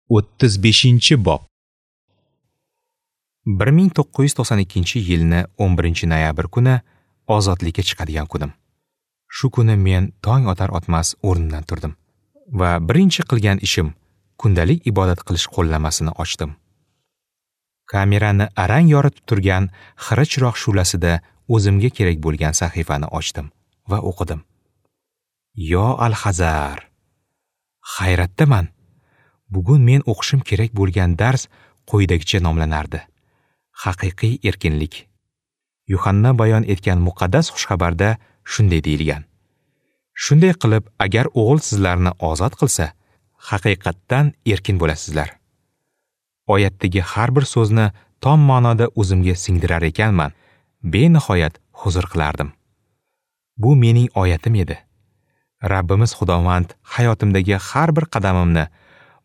35-bob. 1992-yilni 11-noyabr kuni ozodlikka chiqadigan kunim. Shu kuni men tong otar otmas o'rnimdan turdim va birinchi qilgan ishim kundalik ibodat qilish qo'llanmasini ochdim. Kamerani arang yoritib turgan xira chiroq shu'lasida o'zimga kerak bo'lgan sahifani ochdim va o'qidim. Yo al-Hazar. Hayratdaman. Bugun men o'qishim kerak bo'lgan dars quyidagicha nomlanardi: Haqiqiy erkinlik. Yuhanna bayon etgan muqaddas xushxabarda shunday deyilgan: Shunday qilib, agar o'g'il sizlarni ozod qilsa, haqiqatdan erkin bo'lasizlar. Oyatdagi har bir so'zni tom ma'noda o'zimga singdirar ekanman, benihoyat huzur qilardim. Bu mening oyatim edi. Rabbimiz Xudovand hayotimdagi har bir qadamimni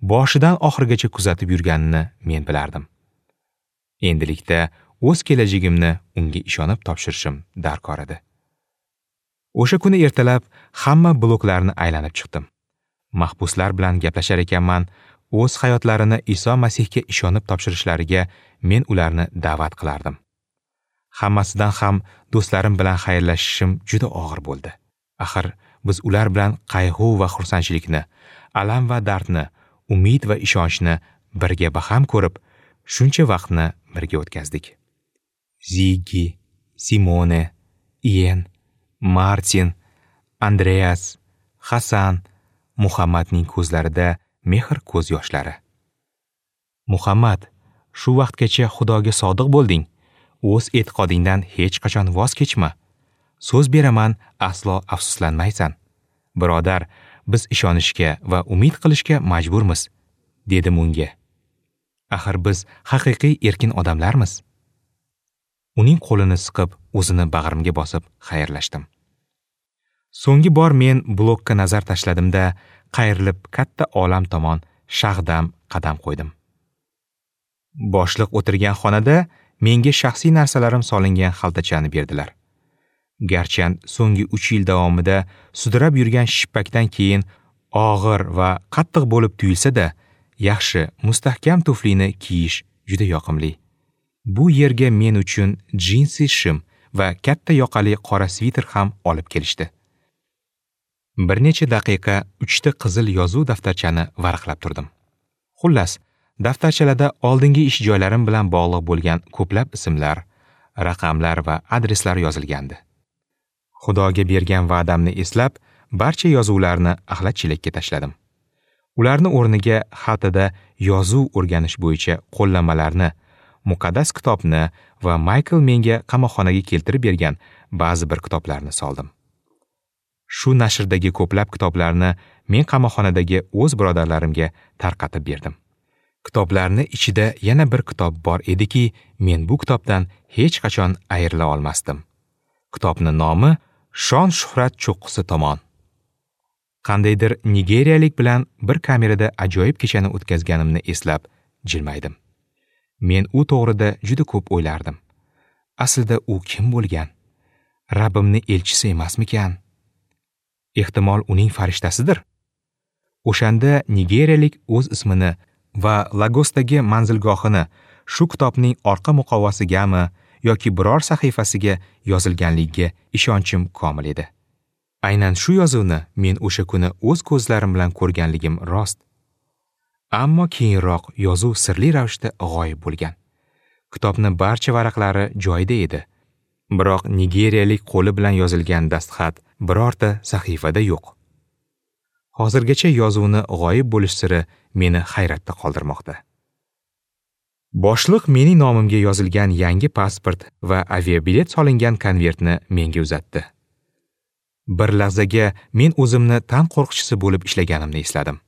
boshidan oxirigacha kuzatib yurganini men bilardim. Endilikda o'z kelajagimni unga ishonib topshirishim darkor edi. O'sha kuni ertalab hamma bloklarni aylanib chiqdim. Mahbuslar bilan gaplashar ekanman, o'z hayotlarini Iso Masihga ishonib topshirishlariga men ularni da'vat qilardim. Hammasidan ham do'stlarim bilan xayrlashishim juda og'ir bo'ldi. Axir biz ular bilan qayg'u va xursandchilikni, alam va dardni, umid va ishonchni birga baham ko'rib, shuncha vaqtni birga o'tkazdik. Ziggi, Simone, Ian, Martin, Andreas, Hasan, Muhammadning ko'zlarida mehr ko'z yoshlari. Muhammad, shu vaqtgacha Xudoga sodiq bo'lding. O'z e'tiqodingdan hech qachon voz kechma. So'z beraman, aslo afsuslanmaysan. Birodar, biz ishonishga va umid qilishga majburmiz, dedim unga. Axir biz haqiqiy erkin odamlarmiz. Uning qo'lini siqib, o'zini bag'rimga bosib xayrlashdim. So'nggi bor men blokka nazar tashladimda, qayrilib katta olam tomon shag'dam qadam qo'ydim. Boshliq o'tirgan xonada menga shaxsiy narsalarim solingan xaltachani berdilar. Garchi so'nggi 3 yil davomida sudrab yurgan shippakdan keyin og'ir va qattiq bo'lib tuyulsa-da, yaxshi, mustahkam tuflini kiyish juda yoqimli. Bu yerga men uchun jinsi shim va katta yoqali qora sviter ham olib kelishdi. Bir necha daqiqa 3 ta qizil yozuv daftarchani varaqlab turdim. Xullas, daftarchalarda oldingi ish joylarim bilan bog'liq bo'lgan ko'plab ismlar, raqamlar va adreslar yozilgandi. Xudoga bergan va'damni eslab, barcha yozuvlarni axlat chelakka tashladim. Ularni o'rniga xaltada yozuv o'rganish bo'yicha qo'llanmalarni, muqaddas kitobni va Maykl menga qamoqxonaga keltirib bergan ba'zi bir kitoblarni soldim. Shu nashrdagi ko'plab kitoblarni men qamoqxonadagi o'z birodarlarimga tarqatib berdim. Kitoblarni ichida yana bir kitob bor ediki, men bu kitobdan hech qachon ayrila olmasdim. Kitobning nomi Shon shuhrat cho'qqisi tomon. Qandaydir nigeriyalik bilan bir kamerada ajoyib kechani o'tkazganimni eslab jilmaydim. Men u to'g'rida juda ko'p o'ylardim. Aslida u kim bo'lgan? Rabbimni elchisi emasmikan? Ehtimol uning farishtasidir. O'shanda nigeriyalik o'z ismini va Lagosdagi manzilgohini shu kitobning orqa muqovasigami yoki biror sahifasiga yozilganligiga ishonchim komil edi. Aynan shu yozuvni men o'sha kuni o'z ko'zlarim bilan ko'rganligim rost. Ammo keyinroq yozuv sirli ravishda g'oyib bo'lgan. Kitobning barcha varaqlari joyida edi. Biroq nigeriyalik qo'li bilan yozilgan dastxat birorta sahifada yo'q. Hozirgacha yozuvni g'oyib bo'lish siri meni hayratda qoldirmoqda. Boshliq mening nomimga yozilgan yangi pasport va aviabilet solingan konvertni menga uzatdi. Bir lahzaga men o'zimni tan qo'rqchisi bo'lib ishlaganimni esladim.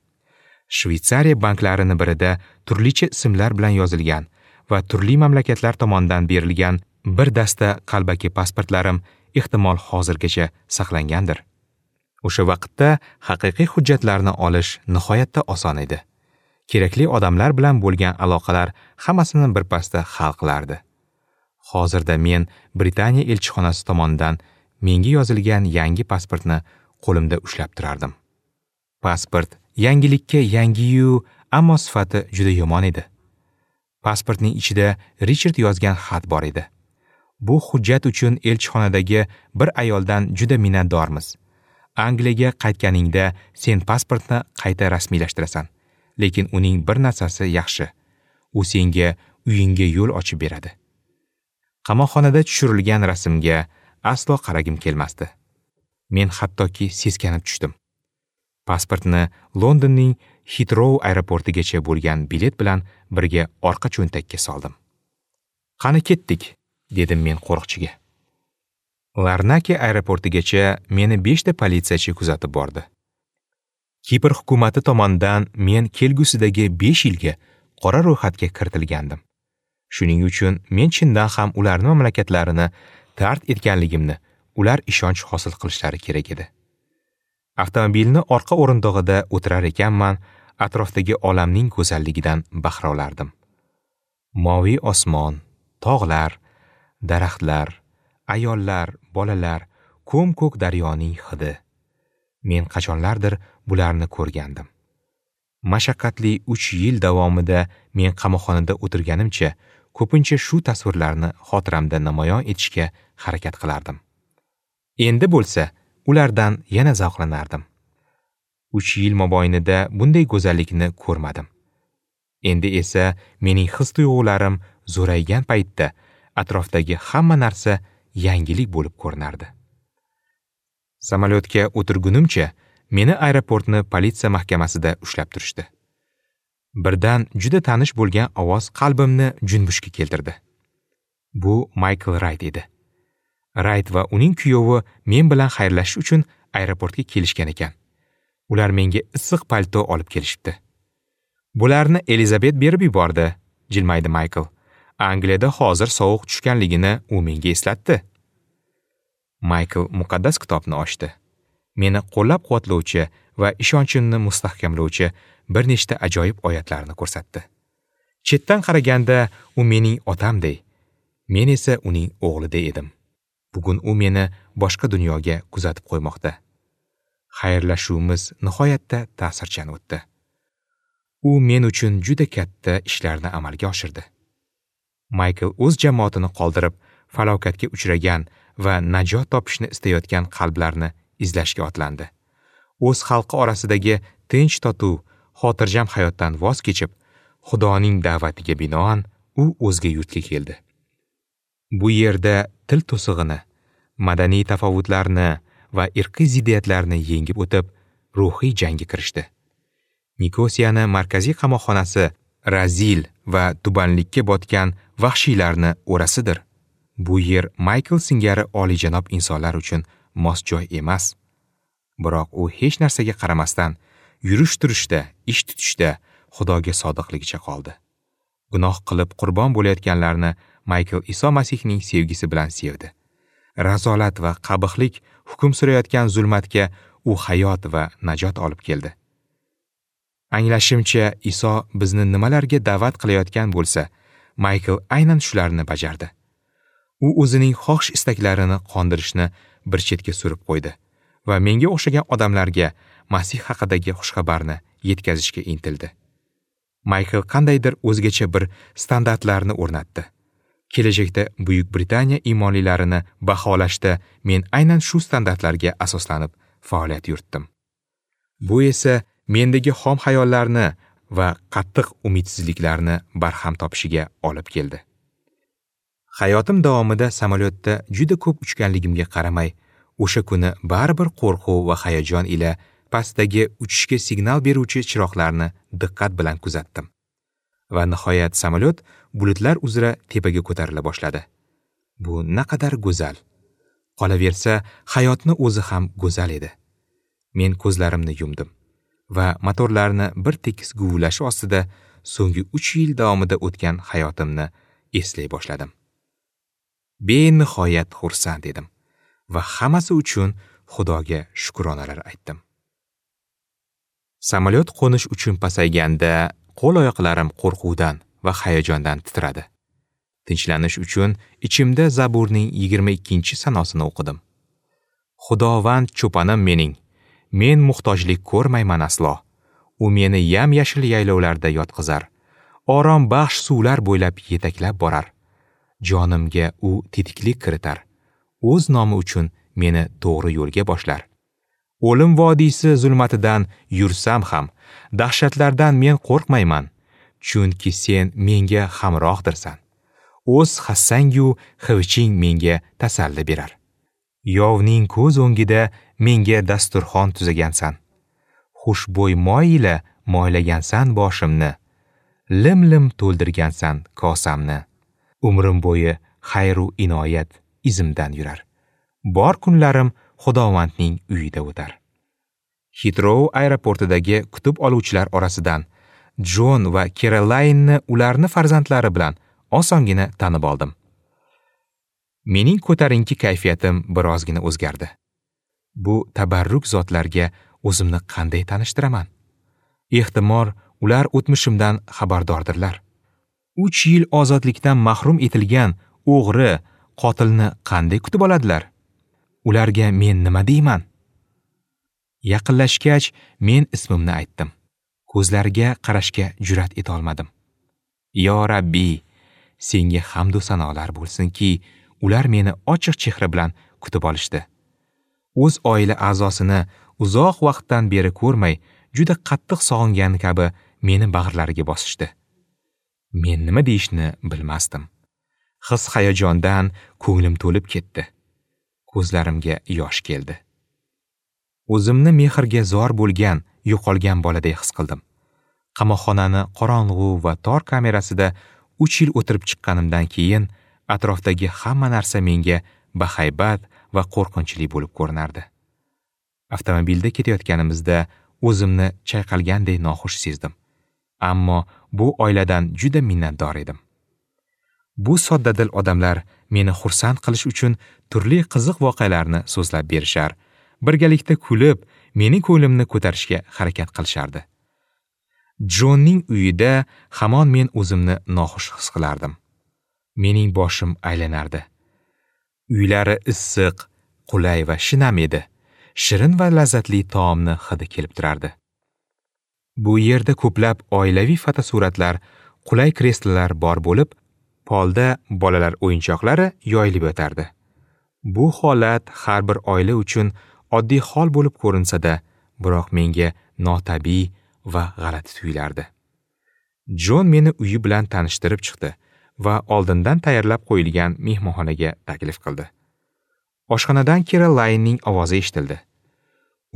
Shveytsariya banklarini birida turlicha ismlar bilan yozilgan va turli mamlakatlar tomonidan berilgan bir dasta qalbaki pasportlarim ehtimol hozirgacha saqlangandir. O'sha vaqtda haqiqiy hujjatlarni olish nihoyatda oson edi. Kerakli odamlar bilan bo'lgan aloqalar hammasini birpasda hal qilardi. Hozirda men Britaniya elchixonasi tomonidan menga yozilgan yangi pasportni qo'limda ushlab turardim. Pasport yangilikka yangiyu, Ammo sifati juda yomon edi. Pasportning ichida Richard yozgan xat bor edi. Bu hujjat uchun elchixonadagi bir ayoldan juda minnatdormiz. Angliyaga qaytganingda sen pasportni qayta rasmiylashtirasan. Lekin uning bir narsasi yaxshi. U senga uyingga yo'l ochib beradi. Qamoqxonada tushirilgan rasmga aslo qaragim kelmasdi. Men hattoki seskanib tushdim. Pasportni Londonning Heathrow aeroportigacha bo'lgan bilet bilan birga orqa cho'ntakka soldim. "Qani ketdik?" dedim men qo'riqchiga. Larnaka aeroportigacha meni 5 ta politsiyachi kuzatib bordi. Kipr hukumati tomonidan men kelgusidagi 5 yilga qora ro'yxatga kiritilgandim. Shuning uchun men chindan ham ularning mamlakatlarini tark etganligimni ular ishonch hosil qilishlari kerak edi. Avtomobilni orqa o'rindig'ida o'tirar ekanman, atrofdagi olamning go'zalligidan bahra olardim. Moviy osmon, tog'lar, daraxtlar, ayollar, bolalar, ko'm-ko'k daryoning hidi. Men qachonlardir bularni ko'rgandim. Mashaqqatli 3 yil davomida men qamoqxonada o'tirganimcha, ko'pincha shu tasvirlarni xotiramda namoyon etishga harakat qilardim. Endi bo'lsa, ulardan yana zavqlanardim. 3 yil mobaynida bunday go'zallikni ko'rmadim. Endi esa mening his-tuyg'ularim zo'raygan paytda atrofdagi hamma narsa yangilik bo'lib ko'rinardi. Samolyotga o'tirgunimcha meni aeroportni politsiya mahkamasida ushlab turishdi. Birdan juda tanish bo'lgan ovoz qalbimni junbushga keltirdi. Bu Maykl Rayt edi. Rayt va uning kuyovi men bilan xayrlashish uchun aeroportga kelishgan ekan. Ular menga issiq palto olib kelishibdi. "Bularni Elizabet berib yubordi", jilmaydi Maykl. "Angliyada hozir sovuq tushganligini u menga eslatdi." Maykl muqaddas kitobni ochdi. Meni qo'llab-quvvatlovchi va ishonchimni mustahkamlovchi bir nechta ajoyib oyatlarni ko'rsatdi. Chetdan qaraganda u mening otamday, men esa uning o'g'liday edim. Bugun u meni boshqa dunyoga kuzatib qo'ymoqda. Xayrlashuvimiz nihoyatda ta'sirchan o'tdi. U men uchun juda katta ishlarni amalga oshirdi. Maykl o'z jamoatini qoldirib, falokatga uchragan va najot topishni istayotgan qalblarni izlashga otlandi. O'z xalqi orasidagi tinch totuv, xotirjam hayotdan voz kechib, Xudoning da'vatiga binoan u o'zga yurtga keldi. Bu yerda til to'sig'ini, madaniy tafovutlarni va irqiy ziddiyatlarni yengib o'tib, ruhiy jangga kirishdi. Nikosiyani markaziy qamoqxonasi razil va tubanlikka botgan vahshiylarni o'rasidir. Bu yer Maykl singari oliyjanob insonlar uchun mos joy emas. Biroq u hech narsaga qaramasdan yurish-turishda, ish tutishda Xudoga sodiqligicha qoldi. Gunoh qilib qurbon bo'layotganlarni Maykl Iso Masihning sevgisi bilan sevdi. Razolat va qabihlik hukm surayotgan zulmatga u hayot va najot olib keldi. Anglashimcha, Iso bizni nimalarga da'vat qilayotgan bo'lsa, Maykl aynan shularni bajardi. U o'zining xohish istaklarini qondirishni bir chetga surib qo'ydi va menga o'xshagan odamlarga Masih haqidagi xushxabarni yetkazishga intildi. Maykl qandaydir o'zgacha bir standartlarni o'rnatdi. Kelajakda Buyuk Britaniya iymonlilarini baholashda men aynan shu standartlarga asoslanib faoliyat yuritdim. Bu esa mendagi xom xayollarni va qattiq umidsizliklarni barham topishiga olib keldi. Hayotim davomida samolyotda juda ko'p uchganligimga qaramay, o'sha kuni baribir qo'rquv va hayajon ila pastdagi uchishga signal beruvchi chiroqlarni diqqat bilan kuzatdim. Va nihoyat samolyot bulutlar uzra tepaga ko'tarila boshladi. Bu naqadar go'zal. Qolaversa, hayotni o'zi ham go'zal edi. Men ko'zlarimni yumdim va motorlarni bir tekis guvillashi ostida so'nggi 3 yil davomida o'tgan hayotimni eslay boshladim. Benihoyat xursand edim va hammasi uchun Xudoga shukronalar aytdim. Samolyot qo'nish uchun pasayganda qo'l-oyoqlarim qo'rquvdan va hayajondan titradi. Tinchlanish uchun ichimda Zaburning 22-sanosini o'qidim. Xudovand cho'panim mening, men muhtojlik ko'rmayman aslo. U meni yam-yashil yaylovlarda yotqizar. Orom baxsh suvlar bo'ylab yetaklab borar. Jonimga u tetiklik kiritar. O'z nomi uchun meni to'g'ri yo'lga boshlar. O'lim vodiysi zulmatidan yursam ham, dahshatlardan men qo'rqmayman, chunki sen menga hamrohdirsan. O'z hassangu xiviching menga tasalli berar. Yovning ko'z o'ngida menga dasturxon tuzagansan. Xushbo'y moy ila moylagansan boshimni. Lim-lim to'ldirgansan kosamni. Umrim bo'yi xayru inoyat izimdan yurar. Bor kunlarim Xudovandning uyida o'tar. Hitrou aeroportidagi kutib oluvchilar orasidan Jon va Kerolaynni ularni farzandlari bilan osongina tanib oldim. Mening ko'tarinki kayfiyatim birozgina o'zgardi. Bu tabarruk zotlarga o'zimni qanday tanishtiraman? Ehtimol, ular o'tmishimdan xabardordirlar. 3 yil ozodlikdan mahrum etilgan o'g'ri, qotilni qanday kutib oladilar? Ularga men nima deyman? Yaqinlashgach, men ismimni aytdim. Ko'zlariga qarashga jur'at eta olmadim. Yo Rabbi, senga hamd va sanolar bo'lsinki, ular meni ochiq chehra bilan kutib olishdi. O'z oila a'zosini uzoq vaqtdan beri ko'rmay, juda qattiq sog'ingan kabi meni bag'rlariga bosishdi. Men nima deyishni bilmasdim. His hayajondan ko'nglim to'lib ketdi. Ko'zlarimga yosh keldi. O'zimni mehrga zor bo'lgan, yo'qolgan boladay his qildim. Qamoqxonani qorong'u va tor kamerasida 3 yil o'tirib chiqqanimdan keyin atrofdagi hamma narsa menga bahaybat va qo'rqinchli bo'lib ko'rinardi. Avtomobilda ketayotganimizda o'zimni chayqalganday noxush sezdim. Ammo bu oiladan juda minnatdor edim. Bu soddadil odamlar meni xursand qilish uchun turli qiziq voqealarni so'zlab berishar, birgalikda kulib, mening ko'nglimni ko'tarishga harakat qilishardi. Jonning uyida hamon men o'zimni noxush his qilardim. Mening boshim aylanardi. Uylari issiq, qulay va shinam edi. Shirin va lazzatli taomni hidi kelib turardi. Bu yerda ko'plab oilaviy fotosuratlar, qulay kreslolar bor bo'lib, polda bolalar o'yinchoqlari yoyilib yotardi. Bu holat har bir oila uchun oddiy hol bo'lib ko'rinsa-da, biroq menga notabiiy va g'alati tuyulardi. Jon meni uyi bilan tanishtirib chiqdi va oldindan tayyorlab qo'yilgan mehmonxonaga taklif qildi. Oshxonadan Kerolaynning ovozi eshitildi.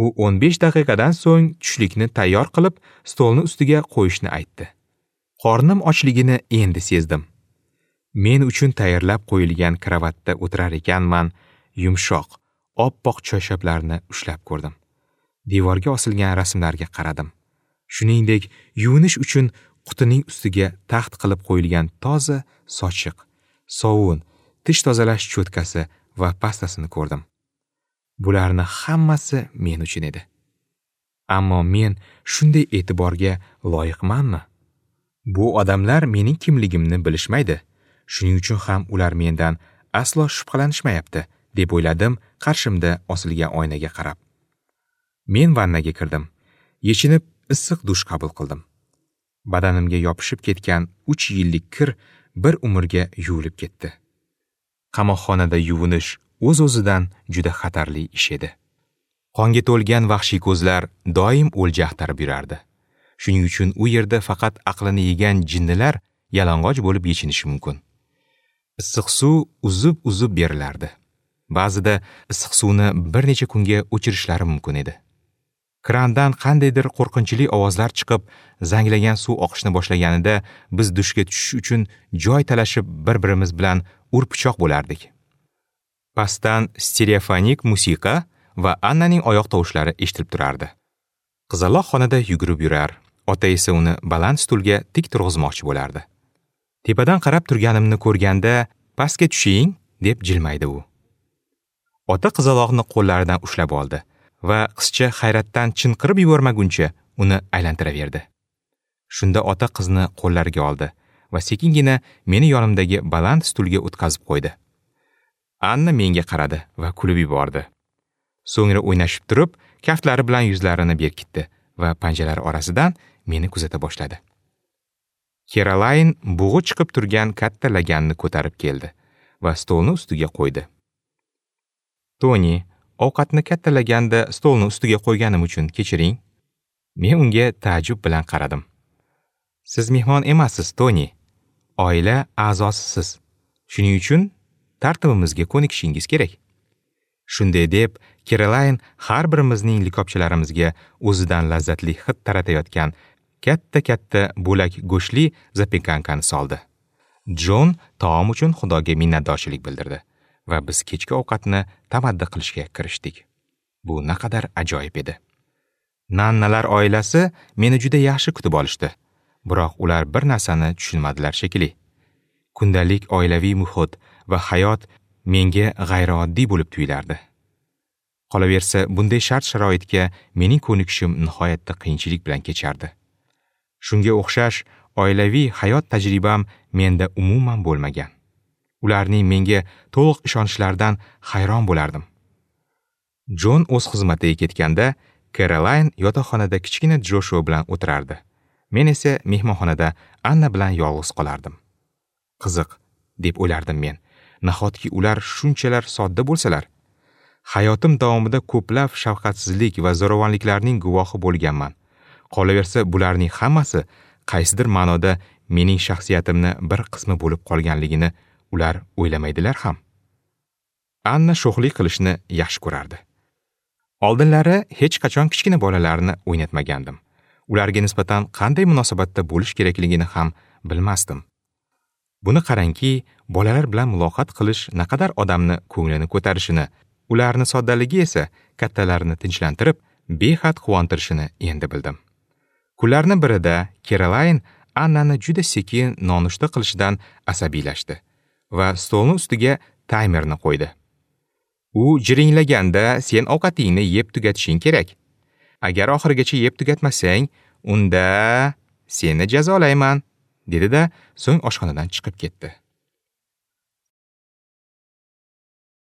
U 15 daqiqadan so'ng tushlikni tayyor qilib, stolni ustiga qo'yishni aytdi. Qornim ochligini endi sezdim. Men uchun tayyorlab qo'yilgan kravatda o'tirar ekanman, yumshoq, oppoq choyshablarni ushlab ko'rdim. Devorga osilgan rasmlarga qaradim. Shuningdek, yuvinish uchun qutining ustiga taxt qilib qo'yilgan toza sochiq, sovun, tish tozalash cho'tkasi va pastasini ko'rdim. Bularni hammasi men uchun edi. Ammo men shunday e'tiborga loyiqmanmi? Bu odamlar mening kimligimni bilishmaydi. Shuning uchun ham ular mendan aslo shubhalanishmayapti, deb o'yladim qarshimda osilgan oynaga qarab. Men vannaga kirdim. Yechinib issiq dush qabul qildim. Badanimga yopishib ketgan 3 yillik kir bir umrga yuvilib ketdi. Qamoqxonada yuvinish o'z-o'zidan juda xatarli ish edi. Qonga to'lgan vahshiy ko'zlar doim o'lja axtarib yurardi. Shuning uchun u yerda faqat aqlini yegan jinnilar yalang'och bo'lib yechinishi mumkin. Issiq suv uzib-uzib berilardi. Ba'zida issiq suvni bir necha kunga o'chirishlari mumkin edi. Krandan qandaydir qo'rqinchli ovozlar chiqib, zanglagan suv oqishni boshlaganida biz dushga tushish uchun joy talashib bir-birimiz bilan ur-pichoq bo'lardik. Pastdan stereofonik musiqa va Annaning oyoq tovushlari eshitilib turardi. Qizaloq xonada yugurib yurar, ota esa uni baland stulga tik turg'izmoqchi bo'lardi. Tepadan qarab turganimni ko'rganda, "Pastga tushing" deb jilmaydi u. Ota qizaloqni qo'llaridan ushlab oldi va qizcha hayratdan chinqirib yubormaguncha uni aylantiraverdi. Shunda ota qizni qo'llariga oldi va sekingina meni yonimdagi baland stulga o'tkazib qo'ydi. Anna menga qaradi va kulib yubordi. So'ngra o'ynashib turib, kaftlari bilan yuzlarini berkitdi va panjalari orasidan meni kuzata boshladi. Kerolayn bug'i chiqib turgan katta laganni ko'tarib keldi va stolni ustiga qo'ydi. Toni, ovqatni katta laganda stolni ustiga qo'yganim uchun kechiring. Men unga ta'jub bilan qaradim. Siz mehmon emassiz, Toni. Oila a'zosisiz. Shuning uchun tartibimizga ko'nikishingiz kerak. Shunday deb, Kerolayn har birimizning likopchalarimizga o'zidan lazzatli hid taratayotgan katta-katta bo'lak go'shtli zapekankani soldi. Jon taom uchun Xudoga minnatdorchilik bildirdi va biz kechki ovqatni tamaddi qilishga kirishdik. Bu naqadar ajoyib edi. Nannalar oilasi meni juda yaxshi kutib olishdi. Biroq ular bir narsani tushunmadilar shekilli. Kundalik oilaviy muhit va hayot menga g'ayrioddiy bo'lib tuyulardi. Qolaversa, bunday shart-sharoitga mening ko'nikishim nihoyatda qiyinchilik bilan kechardi. Shunga o'xshash oilaviy hayot tajribam menda umuman bo'lmagan. Ularning menga to'liq ishonchlaridan hayron bo'lardim. Jon o'z xizmatiga ketganda, Kerolayn yotoqxonada kichkina Joshua bilan o'tirardi. Men esa mehmonxonada Anna bilan yolg'iz qolardim. Qiziq, deb o'ylardim men. Nahotki ular shunchalar sodda bo'lsalar? Hayotim davomida ko'plab shafqatsizlik va zo'ravonliklarning guvohi bo'lganman. Qolaversa, bularning hammasi qaysidir ma'noda mening shaxsiyatimni bir qismi bo'lib qolganligini ular o'ylamaydilar ham. Anna sho'xlik qilishni yaxshi ko'rardi. Oldinlari hech qachon kichkina bolalarni o'ynatmagandim. Ularga nisbatan qanday munosabatda bo'lish kerakligini ham bilmasdim. Buni qarangki, bolalar bilan muloqot qilish naqadar odamni ko'nglini ko'tarishini, ularni soddaligi esa kattalarni tinchlantirib, behad quvontirishini endi bildim. Kunlarning birida Kerolayn Annani juda sekin nonushta qilishidan asabiylashdi va stolni ustiga taymerni qo'ydi. U jiringlaganda sen ovqatingni yeb tugatishing kerak. Agar oxirigacha yeb tugatmasang, unda seni jazolayman, dedi-da, so'ng oshxonadan chiqib ketdi.